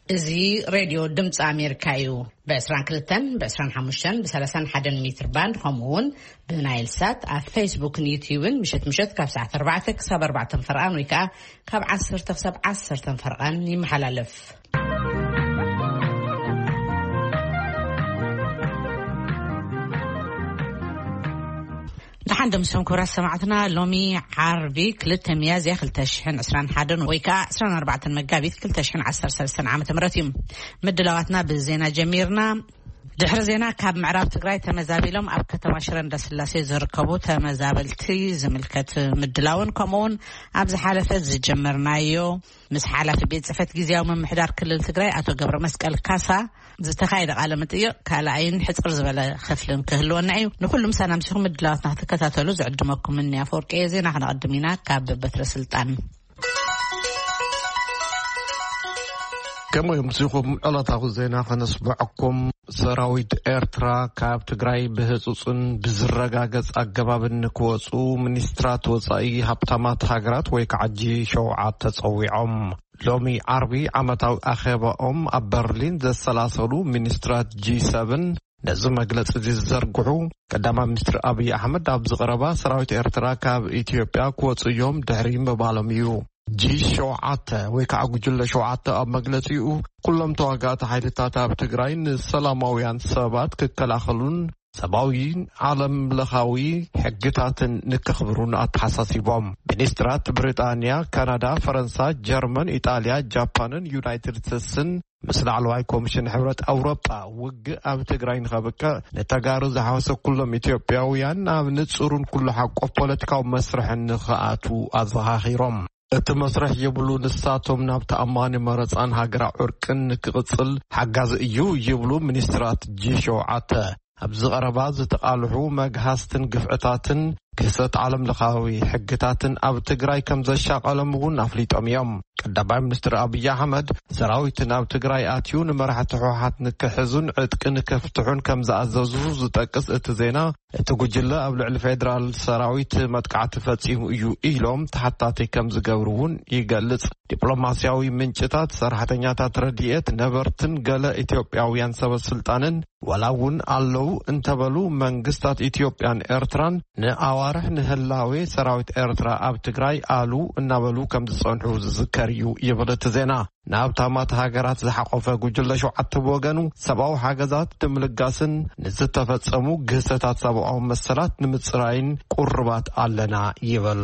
እዚ ሬድዮ ድምፂ ኣሜሪካ እዩ። ብ22፣ ብ25፣ ብ31 ሜትር ባንድ፣ ከምኡ እውን ብናይል ሳት ኣብ ፌስቡክን ዩትዩብን ምሸት ምሸት ካብ ሰዓት ኣርባዕተ ክሳብ ኣርባዕተ ፈርቓን ወይ ከዓ ካብ ዓሰርተ ክሳብ ዓሰርተ ፈርቓን ይመሓላለፍ። ደሓን ደምስም ክብራት ሰማዕትና፣ ሎሚ ዓርቢ ክልተ ሚያዝያ ክልተ ሽሕን ዕስራን ሓደን ወይ ከዓ ዕስራን ኣርባዕተን መጋቢት ክልተ ሽሕን ዓሰርተ ሰለስተን ዓመተ ምህረት እዩ። ምድላዋትና ብዜና ጀሚርና። ድሕሪ ዜና ካብ ምዕራብ ትግራይ ተመዛቢሎም ኣብ ከተማ ሽረ እንዳስላሴ ዝርከቡ ተመዛበልቲ ዝምልከት ምድላውን ከምኡውን ኣብ ዝሓለፈ ዝጀመርናዮ ምስ ሓላፊ ቤት ጽሕፈት ግዜያዊ ምምሕዳር ክልል ትግራይ ኣቶ ገብረ መስቀል ካሳ ዝተኻየደ ቃለ መጠይቕ ካልኣይን ሕጽር ዝበለ ክፍልን ክህልወና እዩ። ንኩሉ ምሳና ምሲኹም ምድላዋትና ክትከታተሉ ዝዕድመኩም እኒ ኣፈወርቂ እየ። ዜና ክነቐድም ኢና ካብ በትረ ስልጣን። ከምኡ እዮም ምሲኹም ዕለታዊ ዜና ከነስምዐኩም። ሰራዊት ኤርትራ ካብ ትግራይ ብህጹጽን ብዝረጋገጽ ኣገባብን ንክወጹ ሚኒስትራት ወጻኢ ሃብታማት ሃገራት ወይ ከዓ ጂ ሸውዓተ ጸዊዖም። ሎሚ ዓርቢ ዓመታዊ ኣኼባኦም ኣብ በርሊን ዘሰላሰሉ ሚኒስትራት ጂ ሰብን ነዚ መግለጺ እዚ ዝዘርግሑ ቀዳማይ ሚኒስትር ኣብይ ኣሕመድ ኣብዚ ቀረባ ሰራዊት ኤርትራ ካብ ኢትዮጵያ ክወጹ እዮም ድሕሪ ምባሎም እዩ። ጂ ሸውዓተ ወይ ከዓ ጉጅለ ሸውዓተ ኣብ መግለጺኡ ኩሎም ተዋጋእቲ ሓይልታት ኣብ ትግራይ ንሰላማውያን ሰባት ክከላኸሉን ሰብኣዊ ዓለም ለኻዊ ሕግታትን ንከኽብሩን ኣተሓሳሲቦም። ሚኒስትራት ብሪጣንያ፣ ካናዳ፣ ፈረንሳ፣ ጀርመን፣ ኢጣልያ፣ ጃፓንን ዩናይትድ ስቴትስን ምስ ላዕለዋይ ኮሚሽን ሕብረት ኣውሮጳ ውግእ ኣብ ትግራይ ንኸብቅዕ ንተጋሩ ዝሓወሰ ኩሎም ኢትዮጵያውያን ኣብ ንጹርን ኩሉ ሓቆፍ ፖለቲካዊ መስርሕን ንኽኣትዉ ኣዘኻኺሮም። እቲ መስርሕ ይብሉ ንሳቶም ናብ ተኣማኒ መረጻን ሃገራዊ ዕርቅን ንክቕጽል ሓጋዚ እዩ ይብሉ ሚኒስትራት ጂ ሸውዓተ። ኣብዚ ቀረባ ዝተቓልሑ መግሃስትን ግፍዕታትን ግህሰት ዓለም ለኻዊ ሕግታትን ኣብ ትግራይ ከም ዘሻቐሎም እውን ኣፍሊጦም እዮም። ቀዳማይ ሚኒስትር ኣብይ ኣሕመድ ሰራዊት ናብ ትግራይ ኣትዩ ንመራሕቲ ህወሓት ንክሕዙን ዕጥቂ ንከፍትሑን ከም ዝኣዘዙ ዝጠቅስ እቲ ዜና፣ እቲ ጉጅለ ኣብ ልዕሊ ፌደራል ሰራዊት መጥቃዕቲ ፈጺሙ እዩ ኢሎም ተሓታቲ ከም ዝገብሩ እውን ይገልጽ። ዲፕሎማስያዊ ምንጭታት፣ ሰራሕተኛታት ረድኤት፣ ነበርትን ገለ ኢትዮጵያውያን ሰበ ስልጣንን ዋላ እውን ኣለዉ እንተበሉ መንግስታት ኢትዮጵያን ኤርትራን ንኣዋርሕ ንህላዌ ሰራዊት ኤርትራ ኣብ ትግራይ ኣሉ እናበሉ ከም ዝጸንሑ ዝዝከር እዩ ይብል እቲ ዜና። ንሃብታማት ሃገራት ዝሓቆፈ ጉጅለ ሸውዓተ ብወገኑ ሰብኣዊ ሓገዛት ንምልጋስን ንዝተፈጸሙ ግህሰታት ሰብኣዊ መሰላት ንምጽራይን ቁርባት ኣለና ይብል።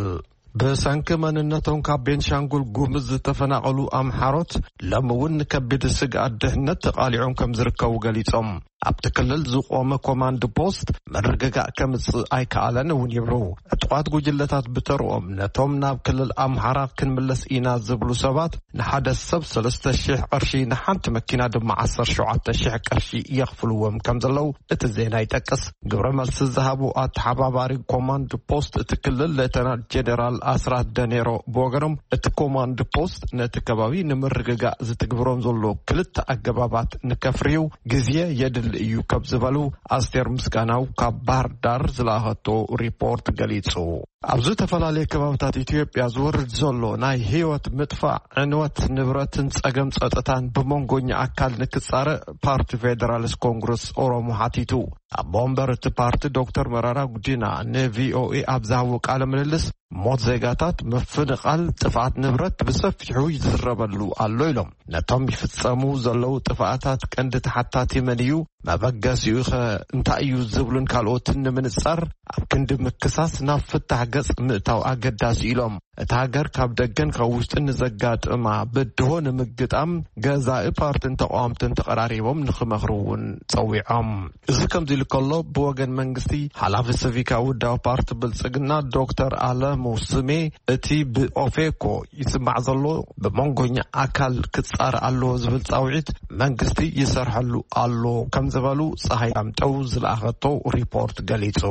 ብሰንኪ መንነቶም ካብ ቤንሻንጉል ጉምዝ ዝተፈናቐሉ ኣምሓሮት ሎም እውን ንከቢድ ስግኣት ድሕነት ተቓሊዖም ከም ዝርከቡ ገሊጾም። ኣብቲ ክልል ዝቆመ ኮማንድ ፖስት ምርግጋእ ከምጽእ ኣይከኣለን እውን ይብሉ። ዕጡቓት ጉጅለታት ብተርኦም ነቶም ናብ ክልል ኣምሓራ ክንምለስ ኢና ዝብሉ ሰባት ንሓደ ሰብ ሰለስተ ሺሕ ቅርሺ፣ ንሓንቲ መኪና ድማ ዓሰርተ ሸውዓተ ሺሕ ቅርሺ የኽፍልዎም ከም ዘለዉ እቲ ዜና ይጠቅስ። ግብረ መልሲ ዝሃቡ ኣተሓባባሪ ኮማንድ ፖስት እቲ ክልል ሌተናል ጄኔራል ኣስራት ደኔሮ ብወገኖም እቲ ኮማንድ ፖስት ነቲ ከባቢ ንምርግጋእ ዝትግብሮም ዘሎ ክልተ ኣገባባት ንከፍርዩ ግዜ የድሊ እዩ ከም ዝበሉ ኣስቴር ምስጋናው ካብ ባህር ዳር ዝለኣኸቶ ሪፖርት ገሊጹ። ኣብ ዝተፈላለየ ከባብታት ኢትዮጵያ ዝወርድ ዘሎ ናይ ህይወት ምጥፋእ፣ ዕንወት ንብረትን ጸገም ጸጥታን ብመንጎኛ ኣካል ንክጻረእ ፓርቲ ፌደራሊስት ኮንግረስ ኦሮሞ ሓቲቱ። ኣቦ ወንበር እቲ ፓርቲ ዶክተር መራራ ጉዲና ንቪኦኤ ኣብ ዝሃቦ ቃለ ምልልስ፣ ሞት ዜጋታት፣ ምፍንቓል፣ ጥፍኣት ንብረት ብሰፊሑ ይዝረበሉ ኣሎ ኢሎም። ነቶም ይፍጸሙ ዘለዉ ጥፍኣታት ቀንዲ ተሓታቲ መን እዩ? መበገሲኡ ኸ እንታይ እዩ ዝብሉን ካልኦትን ንምንጻር ኣብ ክንዲ ምክሳስ ናብ ፍታሕ ገጽ ምእታው ኣገዳሲ ኢሎም። እታ ሃገር ካብ ደገን ካብ ውሽጥን ንዘጋጥማ ብድሆ ንምግጣም ገዛኢ ፓርትን ተቃወምትን ተቐራሪቦም ንኽመኽሩ እውን ጸዊዖም። እዚ ከምዚ ኢሉ ከሎ ብወገን መንግስቲ ሓላፊ ሲቪካዊ ውዳዊ ፓርቲ ብልጽግና ዶክተር ኣለሙ ስሜ እቲ ብኦፌኮ ይስማዕ ዘሎ ብመንጎኛ ኣካል ክጻረ ኣለዎ ዝብል ጻውዒት መንግስቲ ይሰርሐሉ ኣሎ ከም ዝበሉ ፀሃይ ዳምጠው ዝለኣኸቶ ሪፖርት ገሊጹ።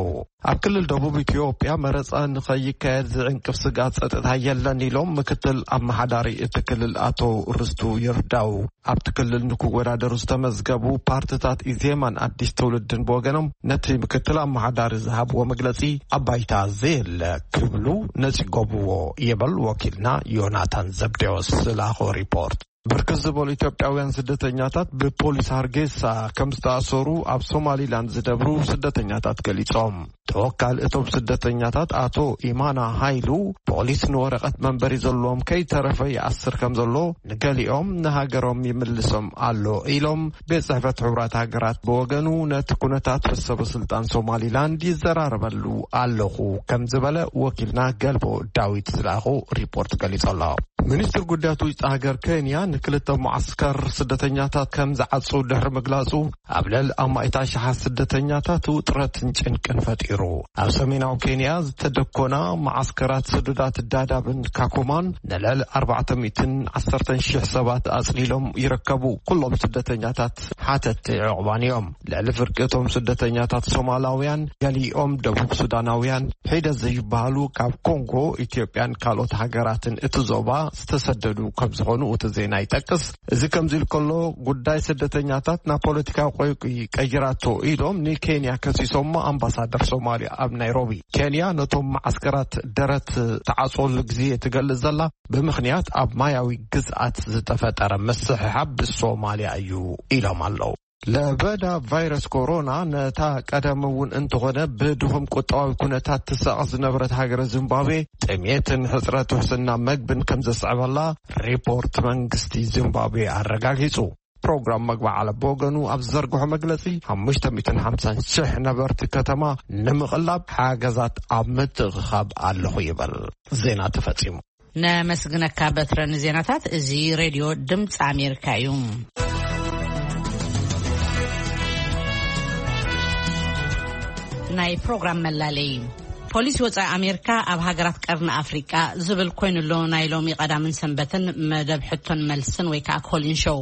ኣብ ክልል ደቡብ ኢትዮጵያ መረፃ ንኸይካየድ ዝዕንቅፍ ስግኣት ፀጥታ የለን ኢሎም ምክትል ኣመሓዳሪ እቲ ክልል ኣቶ ርስቱ ይርዳው። ኣብቲ ክልል ንክወዳደሩ ዝተመዝገቡ ፓርትታት ኢዜማን ኣዲስ ትውልድን ብወገኖም ነቲ ምክትል ኣመሓዳሪ ዝሃብዎ መግለፂ ኣባይታ ዘየለ ክብሉ ነፂጎምዎ ይብል ወኪልና ዮናታን ዘብዴዎስ ዝለኣኾ ሪፖርት። ብርክት ዝበሉ ኢትዮጵያውያን ስደተኛታት ብፖሊስ ሃርጌሳ ከም ዝተኣሰሩ ኣብ ሶማሊላንድ ዝነብሩ ስደተኛታት ገሊጾም። ተወካል እቶም ስደተኛታት ኣቶ ኢማና ሃይሉ፣ ፖሊስ ንወረቐት መንበሪ ዘለዎም ከይተረፈ ይኣስር ከም ዘሎ፣ ንገሊኦም ንሃገሮም ይምልሶም ኣሎ ኢሎም። ቤት ጽሕፈት ሕቡራት ሃገራት ብወገኑ ነቲ ኩነታት ምስ ሰበ ስልጣን ሶማሊላንድ ይዘራረበሉ ኣለኹ ከም ዝበለ ወኪልና ገልቦ ዳዊት ዝለኣኾ ሪፖርት ገሊጹ ኣሎ። ሚኒስትር ጉዳያት ውሽጢ ሃገር ኬንያ ንክልተ መዓስከር ስደተኛታት ከም ዝዓጹ ድሕሪ ምግላጹ፣ ኣብ ልዕሊ ኣማኢት ኣሽሓት ስደተኛታት ውጥረትን ጭንቅን ፈጢሩ። ኣብ ሰሜናዊ ኬንያ ዝተደኮና መዓስከራት ስዱዳት ዳዳብን ካኩማን ንልዕሊ ኣርባዕተ ሚእትን ዓሰርተን ሽሕ ሰባት ኣጽሊሎም ይርከቡ። ኩሎም ስደተኛታት ሓተቲ ዕቑባን እዮም። ልዕሊ ፍርቂ እቶም ስደተኛታት ሶማላውያን፣ ገሊኦም ደቡብ ሱዳናውያን፣ ሒደት ዘይበሃሉ ካብ ኮንጎ፣ ኢትዮጵያን ካልኦት ሃገራትን እቲ ዞባ ዝተሰደዱ ከም ዝኾኑ እቲ ዜና ይጠቅስ። እዚ ከምዚ ኢሉ ከሎ፣ ጉዳይ ስደተኛታት ናብ ፖለቲካዊ ቆይቂ ቀይራቶ ኢሎም ንኬንያ ከሲሶሞ ኣምባሳደር ሶማልያ ኣብ ናይሮቢ። ኬንያ ነቶም መዓስከራት ደረት ተዓጽወሉ ግዜ ትገልጽ ዘላ ብምኽንያት ኣብ ማያዊ ግዝኣት ዝተፈጠረ ምስሕሓብ ብሶማልያ እዩ ኢሎም ኣለዉ። ለበዳ ቫይረስ ኮሮና ነታ ቀደም እውን እንተኾነ ብድኹም ቁጠባዊ ኩነታት ትሳቐ ዝነበረት ሃገረ ዚምባብዌ ጥሜትን ሕጽረት ውሕስና መግብን ከም ዘስዕበላ ሪፖርት መንግስቲ ዚምባብዌ ኣረጋጊጹ። ፕሮግራም መግቢ ዓለም ብወገኑ ኣብ ዝዘርግሖ መግለጺ፣ ሓሙሽተ ሚእትን ሓምሳን ሽሕ ነበርቲ ከተማ ንምቕላብ ሓገዛት ኣብ ምትእኽኻብ ኣለኹ ይብል። ዜና ተፈጺሙ። ነመስግነካ በትረ ንዜናታት። እዚ ሬድዮ ድምፂ ኣሜሪካ እዩ። ናይ ፕሮግራም መላለይ። ፖሊሲ ወፃኢ ኣሜሪካ ኣብ ሃገራት ቀርኒ ኣፍሪቃ ዝብል ኮይኑ ኣሎ። ናይ ሎሚ ቀዳምን ሰንበትን መደብ ሕቶን መልስን ወይ ከዓ ኮሊን ሾው።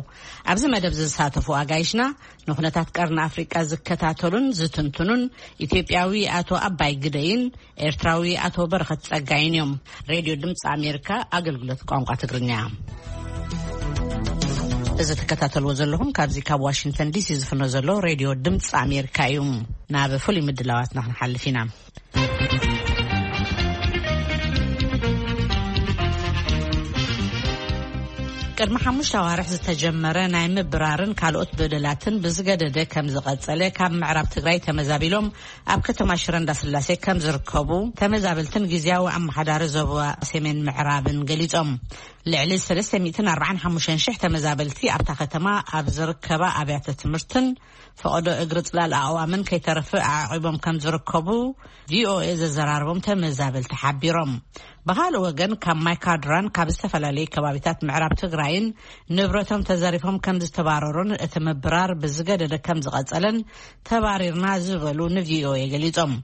ኣብዚ መደብ ዝሳተፉ ኣጋይሽና ንኩነታት ቀርኒ ኣፍሪቃ ዝከታተሉን ዝትንትኑን ኢትዮጵያዊ ኣቶ ኣባይ ግደይን ኤርትራዊ ኣቶ በረኸት ጸጋይን እዮም። ሬድዮ ድምፂ ኣሜሪካ ኣገልግሎት ቋንቋ ትግርኛ። እዚ ትከታተልዎ ዘለኹም ካብዚ ካብ ዋሽንግተን ዲሲ ዝፍኖ ዘሎ ሬድዮ ድምፂ ኣሜሪካ እዩ። ናብ ፍሉይ ምድላዋትና ክንሓልፍ ኢና። ቅድሚ ሓሙሽተ ኣዋርሕ ዝተጀመረ ናይ ምብራርን ካልኦት በደላትን ብዝገደደ ከም ዝቐጸለ ካብ ምዕራብ ትግራይ ተመዛቢሎም ኣብ ከተማ ሽረ እንዳስላሴ ከም ዝርከቡ ተመዛበልትን ግዝያዊ ኣመሓዳሪ ዞባ ሰሜን ምዕራብን ገሊጾም። ልዕሊ ሰለስተ ሚእትን ኣርባዓን ሓሙሽተን ሽሕ ተመዛበልቲ ኣብታ ከተማ ኣብ ዝርከባ ኣብያተ ትምህርትን ፈቐዶ እግሪ ጽላል ኣእዋምን ከይተረፈ ኣዕቂቦም ከም ዝርከቡ ቪኦኤ ዘዘራረቦም ተመዛበልቲ ሓቢሮም። ብኻልእ ወገን ካብ ማይካድራን ካብ ዝተፈላለዩ ከባቢታት ምዕራብ ትግራይን ንብረቶም ተዘሪፎም ከም ዝተባረሩን እቲ ምብራር ብዝገደደ ከም ዝቐጸለን ተባሪርና ዝበሉ ንቪኦኤ ገሊጾም።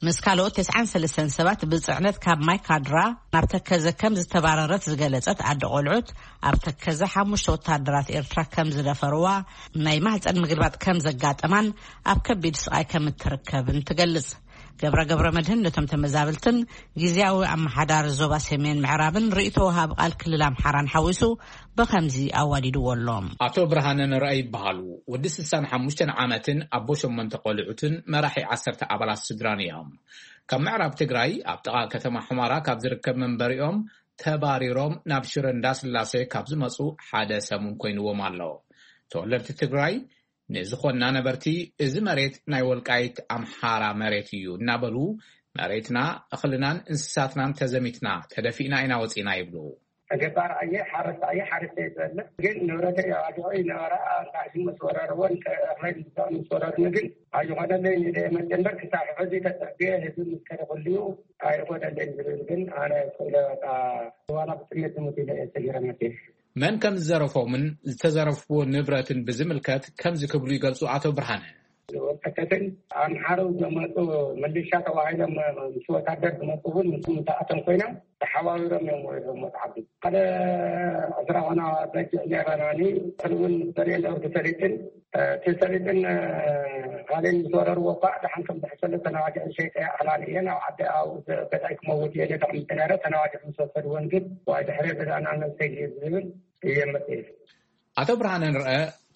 ምስ ካልኦት ተስዓን ሰለስተን ሰባት ብጽዕነት ካብ ማይካድራ ናብ ተከዘ ከም ዝተባረረት ዝገለጸት ኣደ ቆልዑት፣ ኣብ ተከዘ ሓሙሽተ ወታደራት ኤርትራ ከም ዝደፈርዋ፣ ናይ ማህጸን ምግልባጥ ከም ዘጋጠማን ኣብ ከቢድ ስቓይ ከም እትርከብን ትገልጽ። ገብረ ገብረ መድህን ነቶም ተመዛበልትን ግዝያዊ ኣመሓዳሪ ዞባ ሰሜን ምዕራብን ርእይቶ ወሃቢ ቃል ክልል ኣምሓራን ሓዊሱ ብኸምዚ ኣዋዲድዎ ኣሎ። ኣቶ ብርሃነ ንርኣይ ይበሃሉ። ወዲ ስሳን ሓሙሽተን ዓመትን ኣቦ ሸሞንተ ቆልዑትን መራሒ ዓሰርተ ኣባላት ስድራን እዮም። ካብ ምዕራብ ትግራይ ኣብ ጥቓ ከተማ ሑመራ ካብ ዝርከብ መንበሪኦም ተባሪሮም ናብ ሽረ እንዳስላሴ ካብ ዝመጹ ሓደ ሰሙን ኮይንዎም ኣሎ። ተወለድቲ ትግራይ ንዝኾንና ነበርቲ፣ እዚ መሬት ናይ ወልቃይት ኣምሓራ መሬት እዩ እናበሉ፣ መሬትና፣ እኽልናን እንስሳትናን ተዘሚትና፣ ተደፊእና ኢና ወፂና ይብሉ። ገባር ኣየ ሓረስታ ኣየ ሓረስታ ይበለ ግን ንብረተይ ኣባጊዑ ይነበራ። እንታይ ምስ ወረርዎ እኽለይ ምስ ወረርኒ ግን ኣይኾነለይ። ንደ መጀመር ክሳብ ሕዚ ተፀቢየ ህዝቢ ምስ ከደ ኩልዩ ኣይኾነለይ ዝብል ግን ኣነ ክብለ በቃ ዋላ ብጥሜት ዝሙት ኢለ እየ ሰጊረ መፅየ። መን ከም ዝዘረፎምን ዝተዘረፍዎ ንብረትን ብዝምልከት ከምዚ ክብሉ ይገልጹ ኣቶ ብርሃነ። ወልቀተትን ኣምሓሩ ዝመፁ ምልሻ ተባሂሎም ምስ ወታደር ዝመፁ እውን ምስ ምሳኣቶም ኮይኖም ተሓባቢሮም እዮም ወሪዶም መፅሓፍቲ። ሓደ ዕስራ ኾና በጊዕ ነይረናኒ። እኽሊ እውን ምስ በልየ ነብሪ ሰሊጥን እቲ ሰሊጥን ካልእን ምስ ወረርዎ እኳ ደሓን ከም ዝሕሸሉ ተናዋጊዐን ሸይጠ ኣኽላን እየን ኣብ ዓዲ ኣብኡ ገዛይ ክመውት እየ ኢለ ተቐሚጠ ነይረ። ተናዋጊዐ ምስ ወሰድወን ግን ዋይ ድሕሪ ገዛና ነብሰይ ዝብል እየ መፅእ። ኣቶ ብርሃነ ንርአ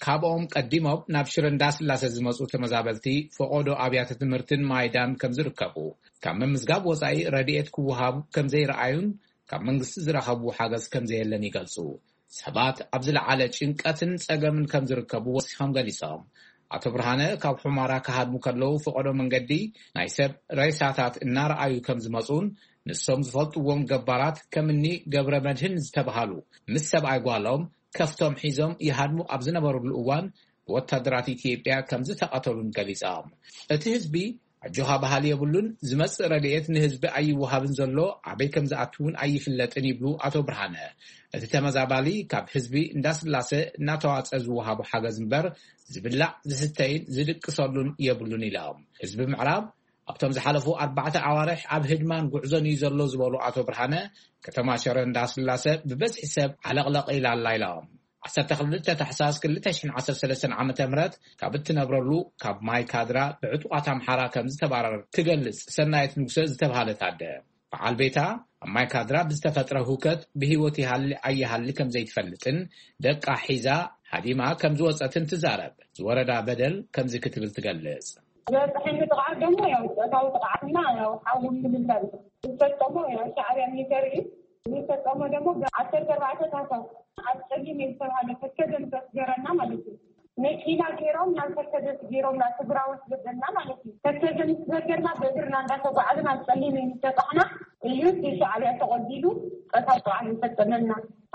ካብኦም ቀዲሞም ናብ ሽረ እንዳስላሴ ዝመፁ ተመዛበልቲ ፈቖዶ ኣብያተ ትምህርትን ማይዳን ከም ዝርከቡ፣ ካብ ምምዝጋብ ወፃኢ ረድኤት ክወሃቡ ከም ዘይረኣዩን ካብ መንግስቲ ዝረኸቡ ሓገዝ ከም ዘየለን ይገልፁ። ሰባት ኣብ ዝለዓለ ጭንቀትን ጸገምን ከም ዝርከቡ ወሲኾም ገሊጾም። ኣቶ ብርሃነ ካብ ሑማራ ክሃድሙ ከለዉ ፈቐዶ መንገዲ ናይ ሰብ ሬሳታት እናረኣዩ ከም ዝመጹን ንሶም ዝፈልጥዎም ገባራት ከምኒ ገብረ መድህን ዝተባሃሉ ምስ ሰብኣይ ጓሎም ከፍቶም ሒዞም ይሃድሙ ኣብ ዝነበሩሉ እዋን ብወታደራት ኢትዮጵያ ከም ዝተቐተሉን ገሊጾም። እቲ ህዝቢ ኣጆኻ በሃሊ የብሉን፣ ዝመጽእ ረድኤት ንህዝቢ ኣይወሃብን ዘሎ፣ ኣበይ ከም ዝኣትውን ኣይፍለጥን ይብሉ ኣቶ ብርሃነ። እቲ ተመዛባሊ ካብ ህዝቢ እንዳስላሰ እናተዋጸ ዝወሃቡ ሓገዝ እምበር ዝብላዕ ዝስተይን ዝድቅሰሉን የብሉን ኢሎም። ህዝቢ ምዕራብ ኣብቶም ዝሓለፉ ኣርባዕተ ኣዋርሕ ኣብ ህድማን ጉዕዞን እዩ ዘሎ ዝበሉ ኣቶ ብርሃነ፣ ከተማ ሽረ እንዳስላሰ ብበዝሒ ሰብ ዓለቕለቕ ኢላ ኣላ ኢሎም። ዓሰርተ ክልተ ታሕሳስ ክልተ ሽሕን ዓሰርተ ሰለስተን ዓመተ ምህረት ካብ እትነብረሉ ካብ ማይ ካድራ ብዕጡቓት ኣምሓራ ከም ዝተባረረ ትገልጽ ሰናይት ንጉሰ ዝተባሃለት ኣደ፣ በዓል ቤታ ኣብ ማይ ካድራ ብዝተፈጥረ ህውከት ብህይወት ይሃሊ ኣይሃሊ ከም ዘይትፈልጥን ደቃ ሒዛ ሃዲማ ከም ዝወጸትን ትዛረብ። ዝወረዳ በደል ከምዚ ክትብል ትገልጽ። ዝበፅሐኒ ጥቕዓት ደግሞ ያው ፆታዊ ጥቕዓትና ያው ሓዊ ምልላይ ዝፈፀሞ ያው ሻዕብያ ሚሊተሪ እዩ። ዝፈፀሞ ደግሞ ዓሰርተ ኣርባዕተ ታህሳስ ኣብ ፀሊም ዝተባሃለ ፈከደ ምስ ኣስገረና ማለት እዩ። መኪና ገይሮም ናብ ፈከደ ገይሮም ናብ ትግራይ ወስደና ማለት እዩ። ፈከደ ምስ ዘገርና ብእግርና እንዳተጓዓዝና ኣብ ፀሊም ዝተጣሕና እዩ እቲ ሻዕብያ ተቐቢሉ ፆታዊ ጥቕዓት ዝፈፀመና።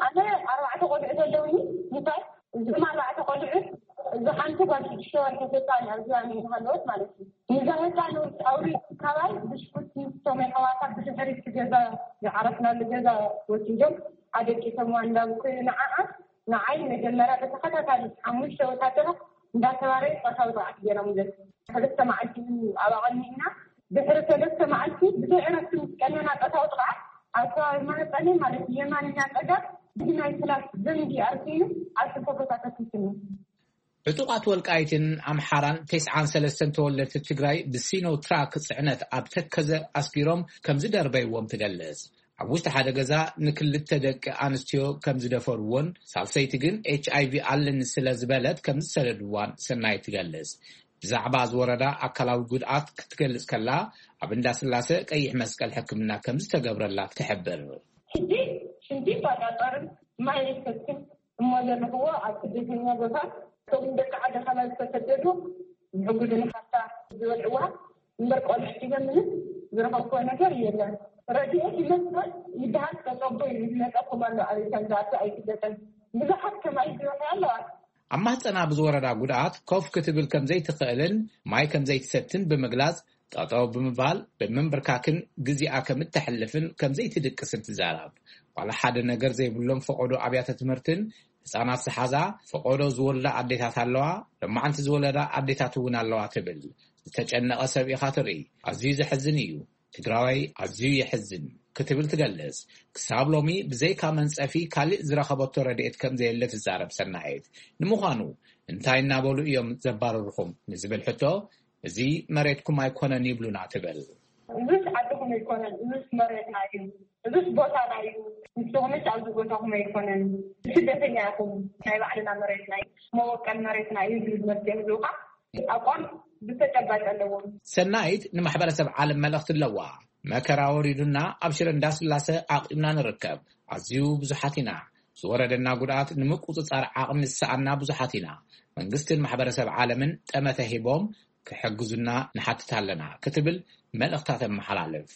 ኣነ ኣርባዕተ ቆልዑ ዘለውኒ ምሳይ እዞም ኣርባዕተ ቆልዑ እዚ ሓንቲ ጓል ሽዱሽተ ወርሒ ህፃን ኣብዚኣ ሃለወት ማለት እዩ። ንዛ ህፃን ኣውሪ ካባይ ብሽኩቲ ቶመይ ኣሕዋታ ብድሕሪት ገዛ ዝዓረፍናሉ ገዛ ወሲዶም ኣደቂሶምዋ እንዳብኩ ንዓኣ ንዓይ መጀመርያ ብተኸታታሊ ሓሙሽተ ወታደራት እንዳተባረዩ ፆታዊ ጥቕዓት ገይሮምለን። ሰለስተ መዓልቲ እዩ ኣብ ኣቐኒእና ድሕሪ ሰለስተ መዓልቲ ብዘይ ዕረፍቲ ምስ ቀነና ፆታዊ ጥቕዓት ኣብ ከባቢ ማህፀነይ ማለት የማንኛ ፀጋም ብናይ ፍላስ ዘንጊ ኣርኪኑ ኣብ ክልተ ቦታ ተኪሱኒ። ዕጡቓት ወልቃይትን ኣምሓራን ተስዓን ሰለስተን ተወለድቲ ትግራይ ብሲኖ ትራክ ፅዕነት ኣብ ተከዘ ኣስጊሮም ከም ዝደርበይዎም ትገልጽ። ኣብ ውሽጢ ሓደ ገዛ ንክልተ ደቂ ኣንስትዮ ከም ዝደፈርዎን ሳልሰይቲ ግን ኤች ኣይ ቪ ኣለኒ ስለ ዝበለት ከም ዝሰደድዋን ሰናይት ትገልጽ። ብዛዕባ ዝወረዳ ኣካላዊ ጉድኣት ክትገልጽ ከላ ኣብ እንዳ ስላሰ ቀይሕ መስቀል ሕክምና ከም ዝተገብረላ ትሕብር። ሽንቲ ሽንቲ ይቆጣጠርን ማይ ይሰትን እሞ ዘለኽዎ ኣብ ስደተኛ ቦታ እቶም ደቂ ዓዲ ካባይ ዝተሰደዱ ዝሕግዙ ንሓፍታ ዝበልዕዋ እምበር ቆልዑ ሒዘ ምንም ዝረኸብክዎ ነገር የለን። ረድኤት ይመስል ይበሃል ተጸቦ እዩ ዝመጸኩም ኣሎ ኣበይ ከም ዝኣቱ ኣይፍለጥን። ብዙሓት ከማይ ዝበልዑ ኣለዋ። ኣብ ማህፀና ብዝወረዳ ጉድኣት ኮፍ ክትብል ከም ዘይትኽእልን ማይ ከም ዘይትሰትን ብምግላጽ ጠጠው ብምባል ብምንብርካክን ግዜኣ ከም እተሕልፍን ከም ዘይትድቅስን ትዛረብ። ዋላ ሓደ ነገር ዘይብሎም ፈቐዶ ኣብያተ ትምህርትን ህፃናት ዝሓዛ ፈቐዶ ዝወልዳ ኣዴታት ኣለዋ፣ ለማዓንቲ ዝወለዳ ኣዴታት እውን ኣለዋ ትብል። ዝተጨነቐ ሰብ ኢኻ ትርኢ። ኣዝዩ ዘሕዝን እዩ። ትግራዋይ ኣዝዩ የሕዝን ክትብል ትገልጽ። ክሳብ ሎሚ ብዘይካ መንጸፊ ካልእ ዝረኸበቶ ረድኤት ከም ዘየለ ትዛረብ ሰናይት። ንምዃኑ እንታይ እናበሉ እዮም ዘባርርኹም ንዝብል ሕቶ እዚ መሬትኩም ኣይኮነን ይብሉና ትብል። እዙስ ዓድኹም ኣይኮነን፣ እዙስ መሬትና እዩ፣ እዙስ ቦታና እዩ። ንስኹምስ ኣብዚ ቦታኹም ኣይኮነን፣ ስደተኛ ኢኹም፣ ናይ ባዕልና መሬትና እዩ፣ መወቀል መሬትና እዩ ዝብል መፍትሒ ህዝብኻ ኣቋም ብተጨባጭ ኣለዎም። ሰናይት ንማሕበረሰብ ዓለም መልእኽቲ ኣለዋ። መከራ ወሪዱና ኣብ ሽረ እንዳስላሰ ዓቂብና ንርከብ። ኣዝዩ ብዙሓት ኢና። ዝወረደና ጉድኣት ንምቁፅፃር ዓቕሚ ዝሰኣና ብዙሓት ኢና። መንግስትን ማሕበረሰብ ዓለምን ጠመተ ሂቦም ክሕግዙና ንሓትት ኣለና ክትብል መልእኽታ ተመሓላልፍ።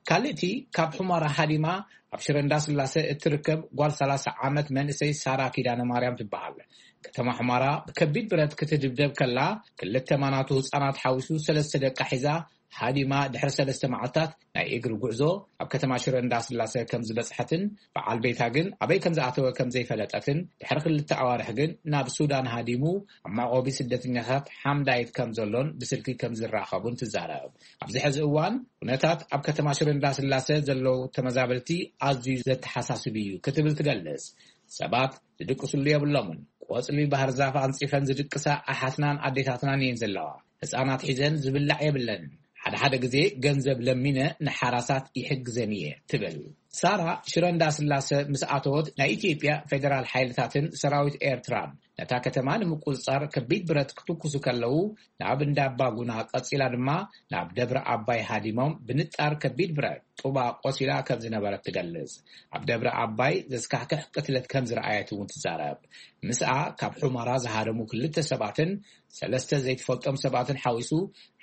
ካልእቲ ካብ ሑመራ ሃዲማ ኣብ ሽረ እንዳስላሰ እትርከብ ጓል ሰላሳ ዓመት መንእሰይ ሳራ ኪዳነ ማርያም ትበሃል። ከተማ ሑመራ ብከቢድ ብረት ክትድብደብ ከላ ክልተ ማናቱ ህፃናት ሓዊሱ ሰለስተ ደቃ ሒዛ ሃዲማ ድሕሪ ሰለስተ መዓልታት ናይ እግሪ ጉዕዞ ኣብ ከተማ ሽረ እንዳስላሰ ከም ዝበፅሐትን በዓል ቤታ ግን ኣበይ ከም ዝኣተወ ከም ዘይፈለጠትን ድሕሪ ክልተ ኣዋርሕ ግን ናብ ሱዳን ሃዲሙ ኣብ መዕቆቢ ስደተኛታት ሓምዳይት ከም ዘሎን ብስልኪ ከም ዝራኸቡን ትዛረብ። ኣብዚ ሕዚ እዋን ኩነታት ኣብ ከተማ ሽረ እንዳስላሰ ዘለዉ ተመዛበልቲ ኣዝዩ ዘተሓሳስብ እዩ ክትብል ትገልጽ። ሰባት ዝድቅስሉ የብሎምን። ቆጽሊ ባህር ዛፍ ኣንጺፈን ዝድቅሳ ኣሓትናን ኣዴታትናን እየን ዘለዋ። ህጻናት ሒዘን ዝብላዕ የብለንን። ሓደ ሓደ ግዜ ገንዘብ ለሚነ ንሓራሳት ይሕግዘን እየ ትብል። ሳራ ሽረ እንዳስላሰ ምስ ኣተወት ናይ ኢትዮጵያ ፌደራል ሓይልታትን ሰራዊት ኤርትራን ነታ ከተማ ንምቁጽጻር ከቢድ ብረት ክትኩሱ ከለዉ ናብ እንዳባጉና ቀጺላ ድማ ናብ ደብረ ኣባይ ሃዲሞም ብንጣር ከቢድ ብረት ጡባ ቆሲላ ከም ዝነበረት ትገልጽ። ኣብ ደብረ ኣባይ ዘስካሕክሕ ቅትለት ከም ዝረኣየት እውን ትዛረብ። ምስኣ ካብ ሑመራ ዝሃደሙ ክልተ ሰባትን ሰለስተ ዘይትፈልጦም ሰባትን ሓዊሱ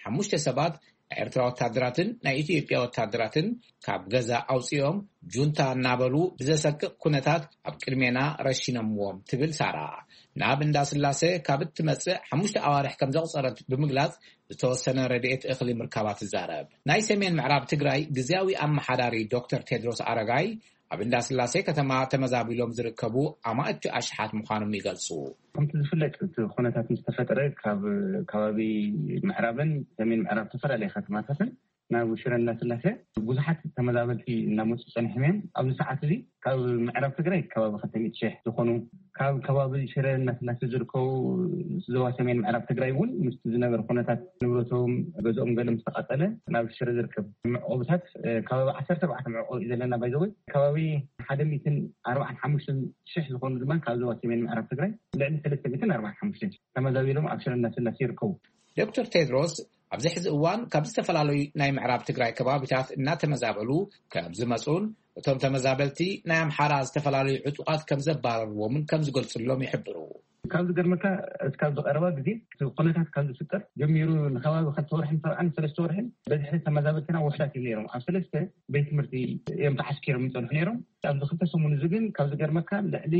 ሓሙሽተ ሰባት ናይ ኤርትራ ወታደራትን ናይ ኢትዮጵያ ወታደራትን ካብ ገዛ ኣውጺኦም ጁንታ እናበሉ ብዘሰቅቕ ኩነታት ኣብ ቅድሜና ረሺኖምዎም ትብል ሳራ። ናብ እንዳስላሰ ካብ እትመጽእ ሓሙሽተ ኣዋርሕ ከም ዘቑጸረት ብምግላጽ ዝተወሰነ ረድኤት እኽሊ ምርካባ ትዛረብ። ናይ ሰሜን ምዕራብ ትግራይ ግዝያዊ ኣመሓዳሪ ዶክተር ቴድሮስ ኣረጋይ ኣብ እንዳስላሴ ከተማ ተመዛቢሎም ዝርከቡ ኣማእቲ ኣሽሓት ምዃኖም ይገልጹ። ከምቲ ዝፍለጥ እቲ ኩነታት ምስ ተፈጠረ ካብ ከባቢ ምዕራብን ሰሜን ምዕራብ ዝተፈላለየ ከተማታትን ናብ ሽረ እንዳስላሴ ብዙሓት ተመዛበልቲ እናመፁ ፀኒሖም እዮም። ኣብዚ ሰዓት እዚ ካብ ምዕራብ ትግራይ ከባቢ ክልተ ሚእቲ ሺሕ ዝኾኑ፣ ካብ ከባቢ ሽረ እንዳስላሴ ዝርከቡ ዞባ ሰሜን ምዕራብ ትግራይ እውን ምስቲ ዝነበረ ኩነታት ንብረቶም ገዝኦም ገለ ምስ ተቃፀለ ናብ ሽረ ዝርከብ መዕቆብታት ከባቢ ዓሰርተ ኣርባዕተ መዕቆቢ እዩ ዘለና። ባይዘወይ ከባቢ ሓደ ሚእትን ኣርባዓን ሓሙሽተን ሽሕ ዝኾኑ ድማ ካብ ዞባ ሰሜን ምዕራብ ትግራይ ልዕሊ ሰለስተ ሚእትን ኣርባዓን ሓሙሽተን ተመዛቢሎም ኣብ ሽረ እንዳስላሴ ይርከቡ። ዶክተር ቴድሮስ ኣብዚ ሕዚ እዋን ካብ ዝተፈላለዩ ናይ ምዕራብ ትግራይ ከባቢታት እናተመዛበሉ ከም ዝመፁን እቶም ተመዛበልቲ ናይ ኣምሓራ ዝተፈላለዩ ዕጡቓት ከም ዘባረርዎምን ከም ዝገልፅሎም ይሕብሩ። ካብ ዝገርመካ እስካብ ዝቀረባ ግዜ እቲ ኩነታት ካብ ዝፍጠር ጀሚሩ ንከባቢ ክልተ ወርሕን ሰብዓን ሰለስተ ወርሕን በዝሒ ተመዛበልትና ውሕዳት እዮም ነይሮም። ኣብ ሰለስተ ቤት ትምህርቲ እዮም ተዓስኪሮም ይፀንሑ ነይሮም። ኣብዚ ክልተ ሰሙን እዚ ግን ካብ ዝገርመካ ልዕሊ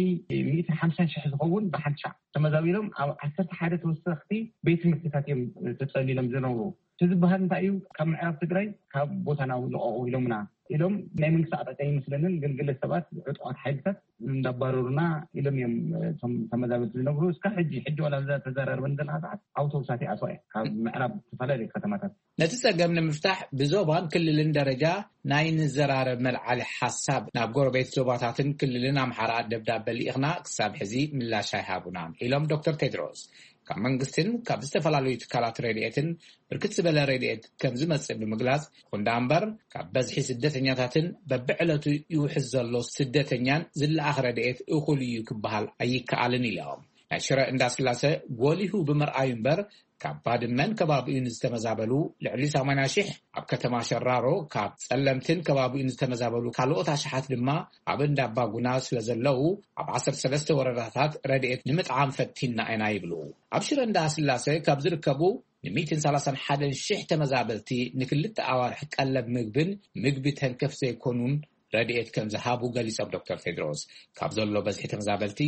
ሚእትን ሓምሳን ሽሕ ዝኸውን ብሓንቲ ሻዕ ተመዛቢሎም ኣብ ዓሰርተ ሓደ ተወሰኽቲ ቤት ትምህርትታት እዮም ተጸሊሎም ዝነብሩ። እቲ ዝበሃል እንታይ እዩ? ካብ ምዕራብ ትግራይ ካብ ቦታና ልቐቑ ኢሎምና ኢሎም ናይ መንግስቲ ኣቕጣጫ ይመስለንን፣ ግን ገለ ሰባት ዕጡቓት ሓይልታት እንዳባረሩና ኢሎም እዮም እቶም ተመዛበልቲ ዝነብሩ። እስካ ሕጂ ሕጂ ዋላ እዛ ተዘራርበን ዘለካ ሰዓት ኣውቶቡሳት ይኣትዋ እየ ካብ ምዕራብ ዝተፈላለዩ ከተማታት። ነቲ ጸገም ንምፍታሕ ብዞባን ክልልን ደረጃ ናይ ንዘራረብ መልዓሊ ሓሳብ ናብ ጎረቤት ዞባታትን ክልልን ኣምሓራ ደብዳበ ልኢኽና፣ ክሳብ ሕዚ ምላሽ ኣይሃቡናን ኢሎም ዶክተር ቴድሮስ። ካብ መንግስትን ካብ ዝተፈላለዩ ትካላት ረድኤትን ብርክት ዝበለ ረድኤት ከም ዝመጽእ ብምግላጽ፣ ይኹን ደኣ እምበር ካብ በዝሒ ስደተኛታትን በብዕለቱ ይውሕዝ ዘሎ ስደተኛን ዝለኣኽ ረድኤት እኹል እዩ ክበሃል ኣይከኣልን ኢሎም። ናይ ሽረ እንዳስላሰ ጎሊሁ ብምርኣዩ እምበር ካብ ባድመን ከባቢኡን ዝተመዛበሉ ልዕሊ ሰማንያ ሺሕ፣ ኣብ ከተማ ሸራሮ ካብ ጸለምትን ከባቢኡን ዝተመዛበሉ ካልኦት ኣሽሓት ድማ ኣብ እንዳባጉና ስለ ዘለዉ ኣብ ዓሰርተ ሰለስተ ወረዳታት ረድኤት ንምጥዓም ፈቲና ኢና ይብሉ። ኣብ ሽረ እንዳስላሰ ካብ ዝርከቡ ንሚእትን ሰላሳን ሓደን ሽሕ ተመዛበልቲ ንክልተ ኣዋርሕ ቀለብ ምግብን ምግቢ ተንከፍ ዘይኮኑን ረድኤት ከም ዝሃቡ ገሊጾም ዶክተር ቴድሮስ። ካብ ዘሎ በዝሒ ተመዛበልቲ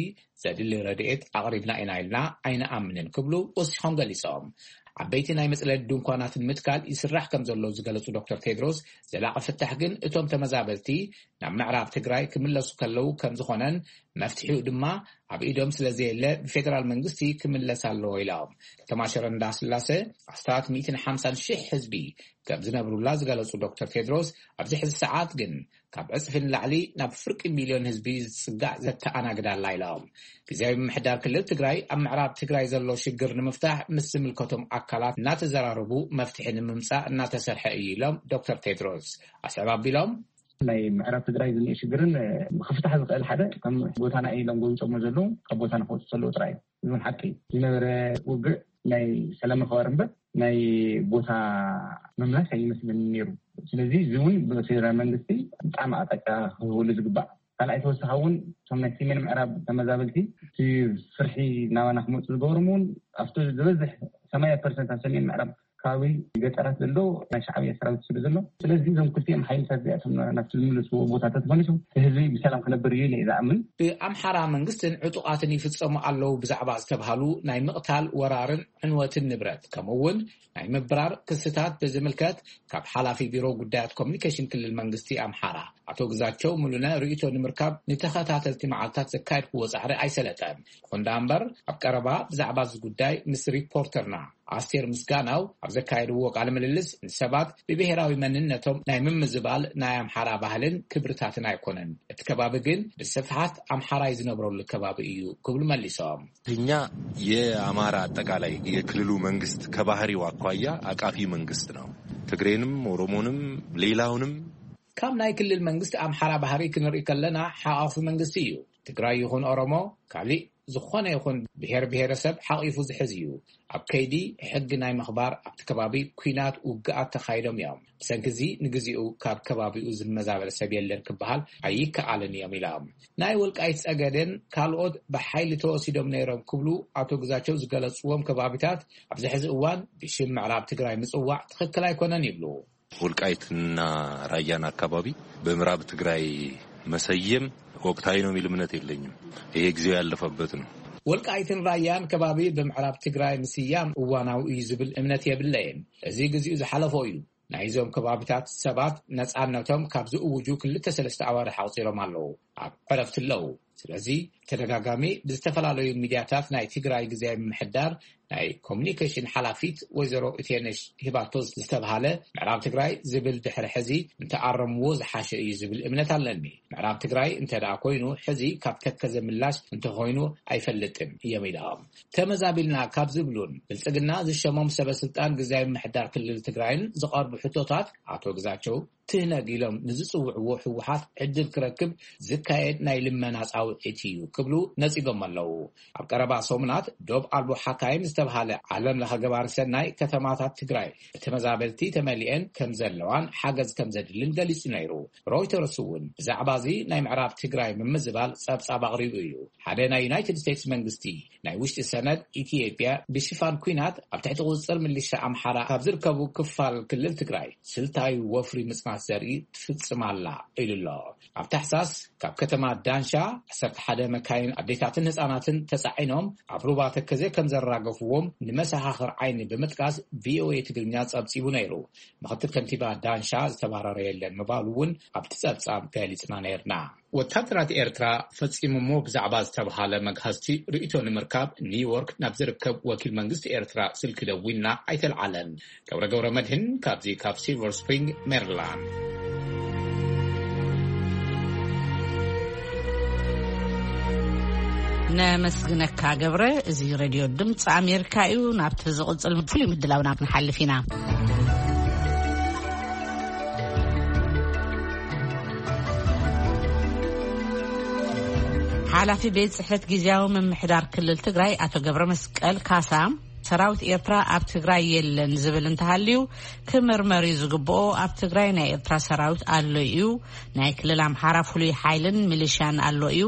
ዘድሊ ረድኤት ኣቕሪብና ኢና ኢልና ኣይንኣምንን ክብሉ ወሲኾም ገሊጾም። ዓበይቲ ናይ መጽለሊ ድንኳናት ንምትካል ይስራሕ ከም ዘሎ ዝገለጹ ዶክተር ቴድሮስ፣ ዘላቒ ፍታሕ ግን እቶም ተመዛበልቲ ናብ ምዕራብ ትግራይ ክምለሱ ከለዉ ከም ዝኾነን መፍትሒኡ ድማ ኣብ ኢዶም ስለ ዘየለ ብፌደራል መንግስቲ ክምለስ ኣለዎ ኢሎም። ከተማ ሽረ እንዳስላሰ ኣስታት ሚእትን ሓምሳን ሽሕ ህዝቢ ከም ዝነብሩላ ዝገለጹ ዶክተር ቴድሮስ፣ ኣብዚ ሕዚ ሰዓት ግን ካብ ዕጽፊ ንላዕሊ ናብ ፍርቂ ሚልዮን ህዝቢ ዝጽጋዕ ዘተኣናግዳ ኣላ ኢሎም። ግዝያዊ ምምሕዳር ክልል ትግራይ ኣብ ምዕራብ ትግራይ ዘሎ ሽግር ንምፍታሕ ምስ ዝምልከቶም ኣካላት እናተዘራረቡ መፍትሒ ንምምጻእ እናተሰርሐ እዩ ኢሎም ዶክተር ቴድሮስ። ኣስዕብ ኣቢሎም ናይ ምዕራብ ትግራይ ዝኒኦ ሽግርን ብክፍታሕ ዝኽእል ሓደ ከም ቦታና ኢሎም ጎብጾሞ ዘለዉ ካብ ቦታና ክወፁ ዘለዉ ጥራይ እዩ። ዝውን ሓቂ እዩ። ዝነበረ ውግእ ናይ ሰላም ምኽባር እምበር ናይ ቦታ ምምላስ ኣይመስልን ነይሩ። ስለዚ እዚ እውን ብፌደራል መንግስቲ ብጣዕሚ ኣቕጣጫ ክህብሉ ዝግባእ። ካልኣይ ተወሳኺ እውን እቶም ናይ ሰሜን ምዕራብ ተመዛበልቲ እቲ ፍርሒ ናባና ክመፁ ዝገበሮም እውን ኣብቲ ዝበዝሕ ሰማንያ ፐርሰንት ኣብ ሰሜን ምዕራብ ከባቢ ገጠራት ዘሎ ናይ ሻዕብያ ሰራዊት ስለ ዘሎ፣ ስለዚ እዞም ክልቲኦም ሓይልታት እዚኣቶም ናብቲ ዝምለስዎ ቦታ ተተመሊሶም እቲ ህዝቢ ብሰላም ክነብር እዩ ኢለ እየ ዝኣምን። ብኣምሓራ መንግስትን ዕጡቓትን ይፍጸሙ ኣለዉ ብዛዕባ ዝተብሃሉ ናይ ምቕታል፣ ወራርን ዕንወትን ንብረት፣ ከምኡ እውን ናይ ምብራር ክስታት ብዝምልከት ካብ ሓላፊ ቢሮ ጉዳያት ኮሚኒኬሽን ክልል መንግስቲ ኣምሓራ ኣቶ ግዛቸው ሙሉነ ርእይቶ ንምርካብ ንተኸታተልቲ መዓልታት ዘካየድክዎ ጻዕሪ ኣይሰለጠን። ይኹን ደኣ እምበር ኣብ ቀረባ ብዛዕባ እዚ ጉዳይ ምስ ሪፖርተርና ኣስቴር ምስጋናው ኣብ ዘካየድዎ ቃለ ምልልስ ንሰባት ብብሄራዊ መንነቶም ናይ ምምዝባል ናይ ኣምሓራ ባህልን ክብርታትን ኣይኮነን፣ እቲ ከባቢ ግን ብስፍሓት ኣምሓራይ ዝነብረሉ ከባቢ እዩ ክብሉ መሊሶም። እኛ የአማራ አጠቃላይ የክልሉ መንግስት ከባህሪው አኳያ አቃፊ መንግስት ነው። ትግሬንም ኦሮሞንም ሌላውንም። ካብ ናይ ክልል መንግስቲ ኣምሓራ ባህሪ ክንርኢ ከለና ሓቋፊ መንግስቲ እዩ። ትግራይ ይኹን ኦሮሞ፣ ካሊእ ዝኾነ ይኹን ብሔር ብሔረሰብ ሓቒፉ ዝሕዝ እዩ። ኣብ ከይዲ ሕጊ ናይ ምኽባር ኣብቲ ከባቢ ኲናት ውግኣት ተኻይዶም እዮም። ብሰንኪ እዚ ንግዚኡ ካብ ከባቢኡ ዝመዛበል ሰብ የለን ክበሃል ኣይከኣልን እዮም ኢሎም። ናይ ወልቃይት ጸገዴን ካልኦት ብሓይሊ ተወሲዶም ነይሮም ክብሉ ኣቶ ግዛቸው ዝገለጽዎም ከባቢታት ኣብዚ ሕዚ እዋን ብሽም ምዕራብ ትግራይ ምጽዋዕ ትኽክል ኣይኮነን ይብሉ። ወልቃይትና ራያን አካባቢ በምዕራብ ትግራይ መሰየም ወቅታዊ ነው የሚል እምነት የለኝም። ይሄ ጊዜው ያለፈበት ነው። ወልቃይትን ራያን ከባቢ ብምዕራብ ትግራይ ምስያም እዋናዊ እዩ ዝብል እምነት የብለይን። እዚ ግዚኡ ዝሓለፎ እዩ። ናይዞም ከባቢታት ሰባት ነፃነቶም ካብ ዝእውጁ ክልተ ሰለስተ ኣዋርሕ ኣቑፂሮም ኣለዉ። ኣብ ዕረፍቲ ኣለዉ። ስለዚ ተደጋጋሚ ብዝተፈላለዩ ሚድያታት ናይ ትግራይ ግዜያዊ ምምሕዳር ናይ ኮሚኒኬሽን ሓላፊት ወይዘሮ እቴነሽ ሂባቶ ዝተብሃለ ምዕራብ ትግራይ ዝብል ድሕሪ ሕዚ እንተኣረምዎ ዝሓሸ እዩ ዝብል እምነት ኣለኒ። ምዕራብ ትግራይ እንተ ደኣ ኮይኑ ሕዚ ካብ ተከዘ ምላሽ እንተኮይኑ ኣይፈልጥን እዮም ኢሎም። ተመዛቢልና ካብ ዝብሉን ብልጽግና ዝሸሞም ሰበ ስልጣን ግዜያዊ ምምሕዳር ክልል ትግራይን ዝቐርቡ ሕቶታት ኣቶ ግዛቸው ትህነግ ኢሎም ንዝጽውዕዎ ህወሓት ዕድል ክረክብ ዝካየድ ናይ ልመና ጻውዒት እዩ ክብሉ ነጺጎም ኣለዉ። ኣብ ቀረባ ሰሙናት ዶብ ኣልቦ ሓካይም ዝተብሃለ ዓለም ለኸ ገባሪ ሰናይ ከተማታት ትግራይ ብተመዛበልቲ ተመሊኤን ከም ዘለዋን ሓገዝ ከም ዘድልን ገሊጹ ነይሩ። ሮይተርስ እውን ብዛዕባ እዚ ናይ ምዕራብ ትግራይ ምምዝባል ጸብጻብ ኣቕሪቡ እዩ። ሓደ ናይ ዩናይትድ ስቴትስ መንግስቲ ናይ ውሽጢ ሰነድ ኢትዮጵያ ብሽፋን ኲናት ኣብ ትሕቲ ቁጽጽር ሚሊሻ ኣምሓራ ካብ ዝርከቡ ክፋል ክልል ትግራይ ስልታዊ ወፍሪ ምጽናት ዘርኢ ትፍጽም ኣላ ኢሉ ኣሎ። ኣብ ታሕሳስ ካብ ከተማ ዳንሻ ዓሰርተ ሓደ መካይን ኣዴታትን ህጻናትን ተጻዒኖም ኣብ ሩባ ተከዘ ከም ዘራገፍዎም ንመሰኻኽር ዓይኒ ብምጥቃስ ቪኦኤ ትግርኛ ጸብጺቡ ነይሩ። ምኽትል ከንቲባ ዳንሻ ዝተባረረ የለን ምባሉ እውን ኣብቲ ጸብጻብ ገሊጽና ነይርና። ወታደራት ኤርትራ ፈጺሞሞ ብዛዕባ ዝተብሃለ መግሃስቲ ርእይቶ ንምርካብ ኒውዮርክ ናብ ዝርከብ ወኪል መንግስቲ ኤርትራ ስልኪ ደዊልና ኣይተልዓለን። ገብረ ገብረ መድህን ካብዚ ካብ ሲልቨር ስፕሪንግ ሜሪላንድ። ነመስግነካ ገብረ። እዚ ሬድዮ ድምፂ ኣሜሪካ እዩ። ናብቲ ዝቕፅል ፍሉይ ምድላውና ክንሓልፍ ኢና። ሓላፊ ቤት ጽሕፈት ግዝያዊ ምምሕዳር ክልል ትግራይ ኣቶ ገብረ መስቀል ካሳ፣ ሰራዊት ኤርትራ ኣብ ትግራይ የለን ዝብል እንተሃልዩ ክምርመር እዩ ዝግብኦ። ኣብ ትግራይ ናይ ኤርትራ ሰራዊት ኣሎ እዩ። ናይ ክልል ኣምሓራ ፍሉይ ሓይልን ሚሊሽያን ኣሎ እዩ።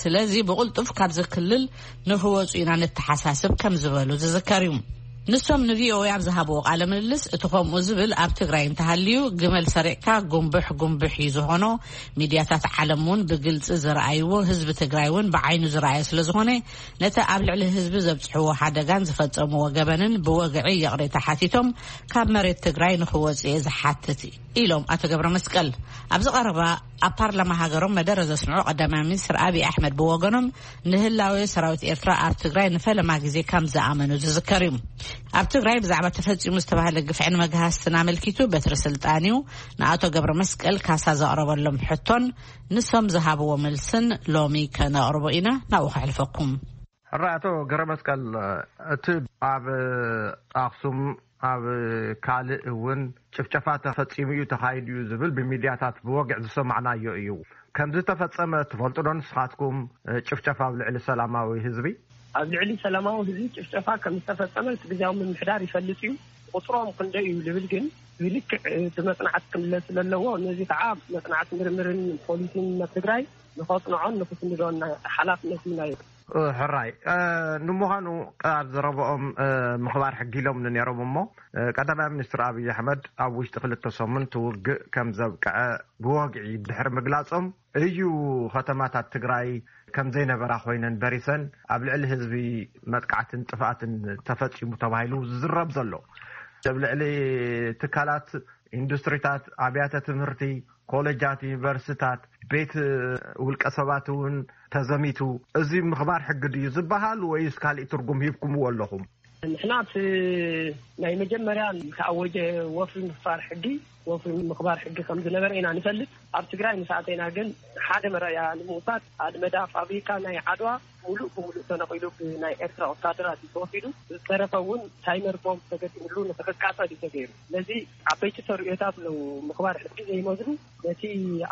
ስለዚ ብቕልጡፍ ካብዚ ክልል ንኽወፁ ኢና ንተሓሳስብ ከም ዝበሉ ዝዝከር እዩ። ንሶም ንቪኦኤ ኣብ ዝሃብዎ ቃለ ምልልስ፣ እቲ ከምኡ ዝብል ኣብ ትግራይ እንተሃልዩ ግመል ሰሪቕካ ጉንብሕ ጉንብሕ እዩ ዝኾኖ። ሚድያታት ዓለም እውን ብግልፂ ዝረኣይዎ፣ ህዝቢ ትግራይ እውን ብዓይኑ ዝረኣዮ ስለ ዝኾነ፣ ነቲ ኣብ ልዕሊ ህዝቢ ዘብፅሕዎ ሓደጋን ዝፈፀምዎ ገበንን ብወግዒ ይቕሬታ ሓቲቶም ካብ መሬት ትግራይ ንኽወፁ እየ ዝሓትት ኢሎም ኣቶ ገብረ መስቀል። ኣብዚ ቀረባ ኣብ ፓርላማ ሃገሮም መደረ ዘስምዑ ቀዳማይ ሚኒስትር ኣብይ ኣሕመድ ብወገኖም፣ ንህላወ ሰራዊት ኤርትራ ኣብ ትግራይ ንፈለማ ግዜ ከም ዝኣመኑ ዝዝከር እዩ። ኣብ ትግራይ ብዛዕባ ተፈጺሙ ዝተባህለ ግፍዕን መግሃስትን ኣመልኪቱ በትሪ ስልጣን እዩ ንኣቶ ገብረ መስቀል ካሳ ዘቕረበሎም ሕቶን ንሶም ዝሃብዎ መልስን ሎሚ ከነቕርቦ ኢና። ናብኡ ከሕልፈኩም። ሕራይ ኣቶ ገብረ መስቀል፣ እቲ ኣብ ኣኽሱም ኣብ ካልእ እውን ጭፍጨፋ ተፈጺሙ እዩ፣ ተኻይዱ እዩ ዝብል ብሚድያታት ብወግዒ ዝሰማዕናዮ እዩ። ከም ዝተፈጸመ ትፈልጡ ዶ ንስኻትኩም፣ ጭፍጨፋ ኣብ ልዕሊ ሰላማዊ ህዝቢ? ኣብ ልዕሊ ሰላማዊ ህዝቢ ጭፍጨፋ ከም ዝተፈጸመ እቲ ግዝያዊ ምምሕዳር ይፈልጥ እዩ። ቁጽሮም ክንደይ እዩ ዝብል ግን ብልክዕ ብመጽናዕቲ ክምለስ ስለ ኣለዎ፣ ነዚ ከዓ መጽናዕቲ ምርምርን ፖሊሲን ኣብ ትግራይ ንኸጽንዖን ንኽስንዶን ሓላፍነት እዩ ናዮ። እ፣ ሕራይ። እ፣ ንምዃኑ ኣብ ዘረብኦም፣ እ፣ ምኽባር ሕጊ ኢሎም ነይሮም እሞ፣ እ፣ ቀዳማይ ሚኒስትር ኣብይ ኣሕመድ ኣብ ውሽጢ ክልተ ሰሙን እቲ ውግእ ከም ዘብቅዐ ብወግዒ ድሕሪ ምግላጾም እዩ ከተማታት ትግራይ ከም ዘይነበራ ኮይነን በሪሰን ኣብ ልዕሊ ህዝቢ መጥቃዕትን ጥፍኣትን ተፈጺሙ ተባሂሉ ዝዝረብ ዘሎ። ኣብ ልዕሊ ትካላት ኢንዱስትሪታት፣ ኣብያተ ትምህርቲ፣ ኮሌጃት፣ ዩኒቨርሲታት፣ ቤት ውልቀ ሰባት እውን ተዘሚቱ። እዚ ምኽባር ሕጊ ድዩ ዝበሃል ወይስ ካልእ ትርጉም ሂብኩምዎ ኣለኹም? ንሕና እቲ ናይ መጀመርያ ዝተኣወጀ ወፍሪ ምኽባር ሕጊ፣ ወፍሪ ምኽባር ሕጊ ከም ዝነበረ ኢና ንፈልጥ። ኣብ ትግራይ ምስ ኣተና ግን ሓደ መረኣያ ንምውሳድ፣ ኣልመዳ ፋብሪካ ናይ ዓድዋ ሙሉእ ብሙሉእ ተነቒሉ ብናይ ኤርትራ ወታደራት እዩ ተወሲዱ። ዝተረፈ እውን ታይመር ቦምብ ተገጢሙሉ ንክቃጸል እዩ ተገይሩ። ስለዚ ዓበይቲ ተርእዮታት ኣለዉ። ምኽባር ሕጊ ዘይመዝኑ፣ ነቲ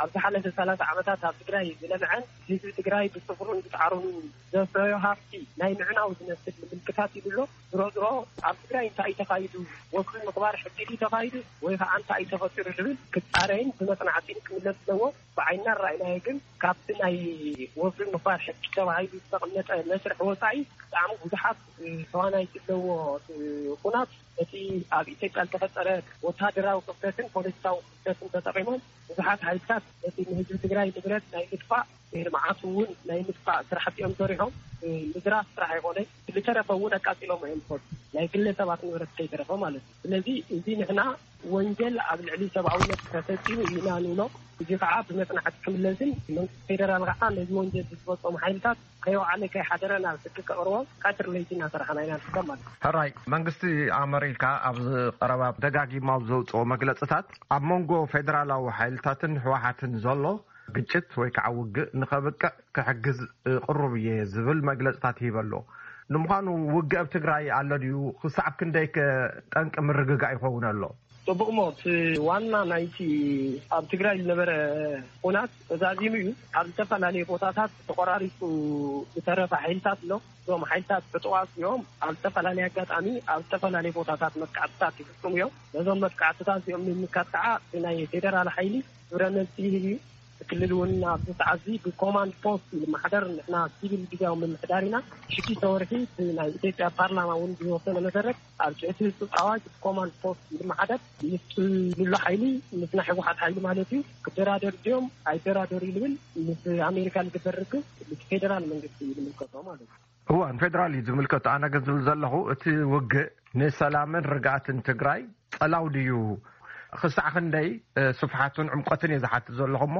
ኣብ ዝሓለፈ ሰላሳ ዓመታት ኣብ ትግራይ ዝለምዐን ህዝቢ ትግራይ ብጽፍሩን ብጻዕሩን ዘፍረዮ ሃፍቲ ናይ ምዕናው ዝመስል ምልክታት እዩ ኣሎ። ዝሮ ዝሮ ኣብ ትግራይ እንታይ እዩ ተኻይዱ? ወግሪ ምኽባር ሕጊ ድዩ ተኻይዱ? ወይ ከዓ እንታይ እዩ ተፈጢሩ ዝብል ክጻረይን ብመጽናዕቲ ክምለስ ዘለዎ። ብዓይና ራእይናዮ ግን ካብቲ ናይ ወፍሪ ምኽባር ሕጊ ተባሂሉ ዝተቐመጠ መስርሕ ወፃኢ ብጣዕሚ ብዙሓት ተዋናይቲ ዘለዎ ኩናት እቲ ኣብ ኢትዮጵያ ዝተፈጠረ ወታደራዊ ክፍተትን ፖለቲካዊ ክፍተትን ተጠቒሞም ብዙሓት ሓይልታት ነቲ ንህዝቢ ትግራይ ንብረት ናይ ምጥፋእ ልምዓት እውን ናይ ምጥፋእ ስራሕቲ እዮም ሰሪሖም። ምዝራፍ ጥራሕ ኣይኮነ፣ ዝተረፈ እውን ኣቃፂሎም እዮም ዝኸዱ፣ ናይ ግለሰባት ንብረት ከይተረፈ ማለት እዩ። ስለዚ እዚ ንሕና ወንጀል ኣብ ልዕሊ ሰብኣውነት ተፈፂሙ ኢና ንብሎ። እዚ ከዓ ብመፅናዕቲ ክምለስን መንግስቲ ፌደራል ከዓ ነዚ ወንጀል ዝፈፀሙ ሓይልታት ከይወዓለ ከይሓደረ ናብ ሕጊ ከቕርቦ ቀትሪ ለይቲ እናሰራሕና ኢና ንርከብ ማለት እዩ። ሕራይ መንግስቲ ኣመሪካ ኣብዚ ቀረባ ደጋጊማ ኣብ ዘውፅኦ መግለፅታት ኣብ መንጎ ፌደራላዊ ሓይልታትን ህወሓትን ዘሎ ግጭት ወይ ከዓ ውግእ ንኸብቅዕ ክሕግዝ ቅሩብ እየ ዝብል መግለፅታት ይህበ ኣሎ። ንምዃኑ ውግእ ኣብ ትግራይ ኣሎ ድዩ? ክሳብ ክንደይ ከ ጠንቂ ምርግጋእ ይኸውን ኣሎ? ፅቡቕ ሞት ዋና ናይቲ ኣብ ትግራይ ዝነበረ ኩናት ተዛዚሙ እዩ። ኣብ ዝተፈላለዩ ቦታታት ተቆራሪፁ ዝተረፈ ሓይልታት ኣሎ። እዞም ሓይልታት ዕጡቓት እዮም ኣብ ዝተፈላለየ ኣጋጣሚ ኣብ ዝተፈላለየ ቦታታት መጥቃዕትታት ይፍፅሙ እዮም። ነዞም መጥቃዕትታት እዚኦም ንምምካት ከዓ ናይ ፌደራል ሓይሊ ግብረ መልሲ ይህብ እዩ። ክልል እውን ኣብዚ ሰዓት እዚ ብኮማንድ ፖስት ይመሓደር። ንሕና ሲቪል ግዜያዊ ምምሕዳር ኢና። ሽዱሽተ ወርሒ እቲ ናይ ኢትዮጵያ ፓርላማ እውን ዝወሰነ መሰረት ኣብ ትሕቲ ህፁፅ ኣዋጅ ብኮማንድ ፖስት ይመሓደር። ምስ ልሎ ሓይሊ ምስ ናይ ህወሓት ሓይሊ ማለት እዩ ክደራደር ድዮም ኣይደራደሩ ይብል ምስ ኣሜሪካ ዝግበር ርክብ ምስ ፌደራል መንግስቲ እዩ ዝምልከቶ ማለት እዩ። እዋን ፌደራል እዩ ዝምልከቶ። ኣነ ግን ዝብል ዘለኹ እቲ ውግእ ንሰላምን ርግኣትን ትግራይ ጸላው ድዩ? ክሳዕ ክንደይ ስፍሓቱን ዕምቆትን እየ ዝሓትት ዘለኹ እሞ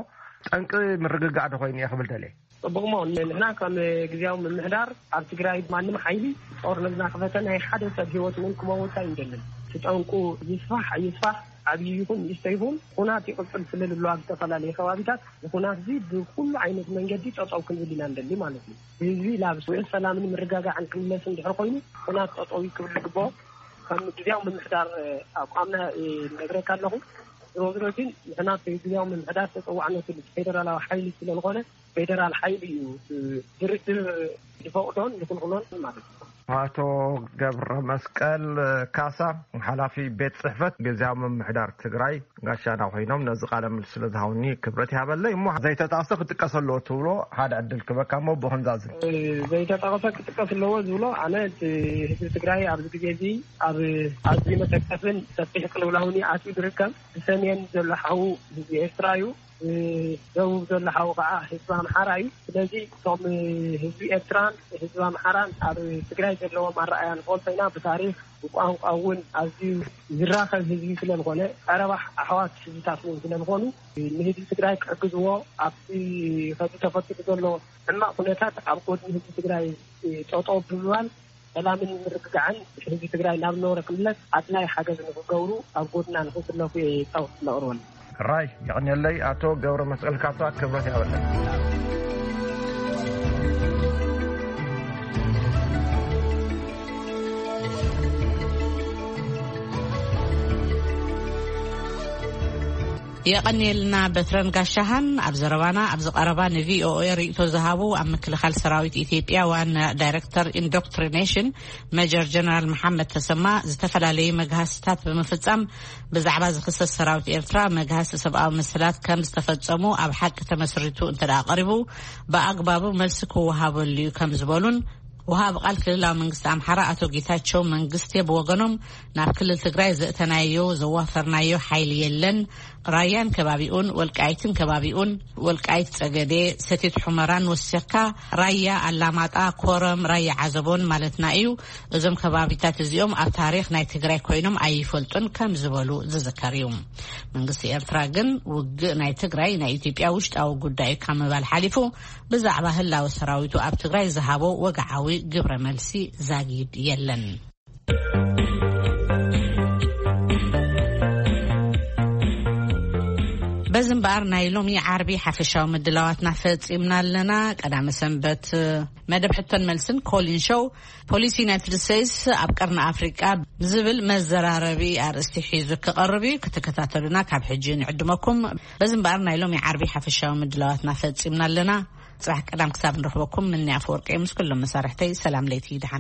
ጠንቂ ምርግጋእ ዶ ኮይኑ እየ ክብል ደልየ። ጽቡቕ እሞ ንሕና ከም ግዜያዊ ምምሕዳር ኣብ ትግራይ ማንም ሓይሊ ጦርነትና ክፈተ ናይ ሓደ ሰብ ህይወት እውን ክመውት ኣይንደልን። እቲ ጠንቁ ይስፋሕ ኣይስፋሕ ዓብዪ ይኹን ንእሽቶ ይኹን ኩናት ይቕጽል ስለ ዝሎ ኣብ ዝተፈላለዩ ከባቢታት ንኩናት እዚ ብኩሉ ዓይነት መንገዲ ጠጠው ክንብል ኢና ንደሊ ማለት እዩ። ህዝቢ ናብ ስዊዕ ሰላምን ምርጋጋዕን ክምለስ እንድሕር ኮይኑ ኩናት ጠጠው ክብል ዝግብኦ ከም ግዜያዊ ምምሕዳር ኣቋምና ነግረካ ኣለኹ። ዝሮ ዝሮ ግን ንሕና ግዜያዊ ምምሕዳር ተፀዋዕነቱ ፌደራላዊ ሓይሊ ስለዝኾነ ፌደራል ሓይሊ እዩ ድርድር ዝፈቕዶን ዝኽልክሎን ማለት እዩ። ኣቶ ገብረ መስቀል ካሳ ሓላፊ ቤት ጽሕፈት ግዜያዊ ምምሕዳር ትግራይ ጋሻና ኮይኖም ነዚ ቃለ ምልስ ስለ ዝሃውኒ ክብረት ይሃበለይ። እሞ ዘይተጣቅሰ ክጥቀስ ኣለዎ ትብሎ ሓደ ዕድል ክበካ እሞ ብኽንዛዝን ዘይተጠቀሰ ክጥቀስ ኣለዎ ዝብሎ ኣነ እቲ ህዝቢ ትግራይ ኣብዚ ግዜ እዚ ኣብ ኣዝዩ መሰከፍን ሰፊሕ ቅልውላውን ኣትዩ ዝርከብ ብሰሜን ዘሎ ሓዉ ህዝቢ ኤርትራ እዩ። ደቡብ ዘሎ ሓዊ ከዓ ህዝቢ ኣምሓራ እዩ። ስለዚ እቶም ህዝቢ ኤርትራን ህዝቢ ኣምሓራን ኣብ ትግራይ ዘለዎም ኣረኣያ ንፈልጦ ኢና። ብታሪክ ብቋንቋ እውን ኣዝዩ ዝራኸብ ህዝቢ ስለዝኾነ ቀረባ ኣሕዋት ህዝብታት እውን ስለዝኾኑ ንህዝቢ ትግራይ ክሕግዝዎ ኣብቲ ከዚ ተፈጢሩ ዘሎ ሕማቕ ኩነታት ኣብ ጎድኒ ህዝቢ ትግራይ ጠጠው ብምባል ሰላምን ምርግጋዕን ህዝቢ ትግራይ ናብ ዝነበረ ክምለስ ኣድላይ ሓገዝ ንክገብሩ ኣብ ጎድና ንክስለፉ እየ ፃውዒት ለቕርበሉ። ራይ የቕንየለይ ኣቶ ገብረ መስቀል ካሳ ክብረት ያበለን። የቐንየልና በትረን ጋሻሃን። ኣብ ዘረባና ኣብዚ ቀረባ ንቪኦኤ ርእይቶ ዝሃቡ ኣብ ምክልኻል ሰራዊት ኢትዮጵያ ዋና ዳይሬክተር ኢንዶክትሪኔሽን መጀር ጀነራል መሓመድ ተሰማ ዝተፈላለዩ መግሃስታት ብምፍጻም ብዛዕባ ዝኽሰስ ሰራዊት ኤርትራ መግሃሲ ሰብኣዊ መሰላት ከም ዝተፈጸሙ ኣብ ሓቂ ተመስሪቱ እንተ ደኣ ቀሪቡ ብኣግባቡ መልሲ ክወሃበሉ እዩ ከም ዝበሉን ወሃቢ ቃል ክልላዊ መንግስቲ ኣምሓራ ኣቶ ጌታቸው መንግስቴ ብወገኖም ናብ ክልል ትግራይ ዘእተናዮ ዘዋፈርናዮ ሓይሊ የለን። ራያን ከባቢኡን ወልቃይትን ከባቢኡን ወልቃይት ጸገዴ ሰቲት ሑመራን ወሲኽካ ራያ ኣላማጣ ኮረም ራያ ዓዘቦን ማለትና እዩ። እዞም ከባቢታት እዚኦም ኣብ ታሪኽ ናይ ትግራይ ኮይኖም ኣይፈልጡን ከም ዝበሉ ዝዝከር እዩ። መንግስቲ ኤርትራ ግን ውግእ ናይ ትግራይ ናይ ኢትዮጵያ ውሽጣዊ ጉዳይ ካብ ምባል ሓሊፉ ብዛዕባ ህላወ ሰራዊቱ ኣብ ትግራይ ዝሃቦ ወግዓዊ ግብረ መልሲ ዛጊድ የለን። እዚ እምበኣር ናይ ሎሚ ዓርቢ ሓፈሻዊ ምድላዋትና ፈጺምና ኣለና። ቀዳመ ሰንበት መደብ ሕቶን መልስን ኮሊን ሾው፣ ፖሊሲ ዩናይትድ ስቴትስ ኣብ ቀርኒ ኣፍሪቃ ዝብል መዘራረቢ ኣርእስቲ ሒዙ ክቐርብ እዩ። ክትከታተሉና ካብ ሕጂ ንዕድመኩም። በዚ እምበኣር ናይ ሎሚ ዓርቢ ሓፈሻዊ ምድላዋትና ፈጺምና ኣለና። ጽባሕ ቀዳም ክሳብ ንረኽበኩም፣ ምንያ ኣፈወርቂ ምስ ኩሎም መሳርሕተይ ሰላም ለይቲ ይድሓን።